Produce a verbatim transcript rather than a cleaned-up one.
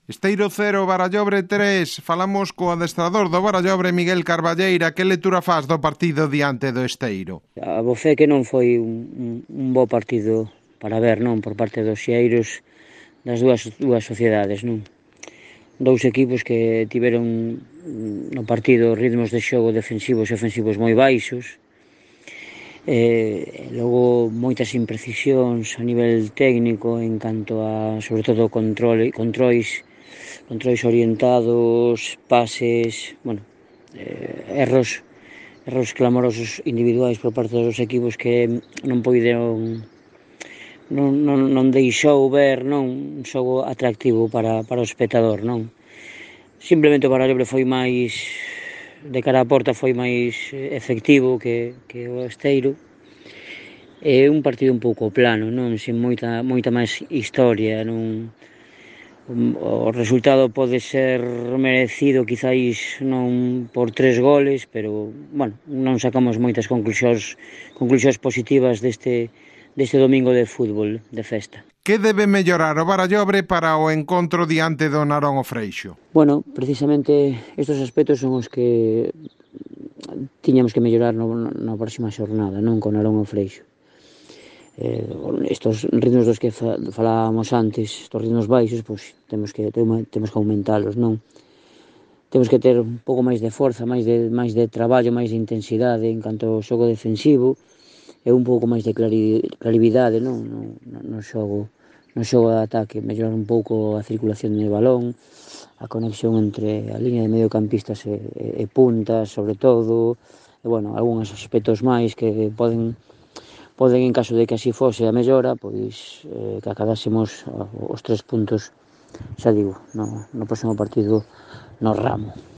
Esteiro cero, Barallobre tres. Falamos co adestrador do Barallobre, Miguel Carballeira. Que lectura faz do partido diante do Esteiro? A bo fe que non foi un, un, un bo partido para ver, non, por parte dos xeiros das dúas, dúas sociedades, non? Dous equipos que tiveron no partido ritmos de xogo defensivos e ofensivos moi baixos, e logo moitas imprecisións a nivel técnico en canto a, sobre todo, control, controis controis orientados, pases, bueno, eh, erros erros clamorosos individuais por parte dos equipos que non poideron non, non, non deixou ver, non, un xogo atractivo para, para o espectador, non. Simplemente o Barallobre foi máis, de cara á porta, foi máis efectivo que, que o Esteiro. É un partido un pouco plano, non, sin moita, moita máis historia, non. O resultado pode ser merecido quizáis non por tres goles, pero, bueno, non sacamos moitas conclusións conclusións positivas deste, deste domingo de fútbol, de festa. Que debe mellorar o Barallobre para o encontro diante do Narón o Freixo? Bueno, precisamente estes aspectos son os que tiñamos que mellorar no, na próxima xornada, non con Narón o Freixo. Eh, estos ritmos dos que fa, falábamos antes, estos ritmos baixos, pois temos que temos que aumentalos, non? Temos que ter un pouco máis de forza, máis de máis de traballo, máis de intensidade en canto ao xogo defensivo e un pouco máis de clari, clarividade, non? No, no, no xogo no xogo de ataque, mellorar un pouco a circulación do balón, a conexión entre a liña de mediocampistas e, e, e puntas, sobre todo, e, bueno, algúns aspectos máis que poden poden, en caso de que así fose a mellora, pois eh, que acabásemos os tres puntos, xa digo, no, no próximo partido no Ramo.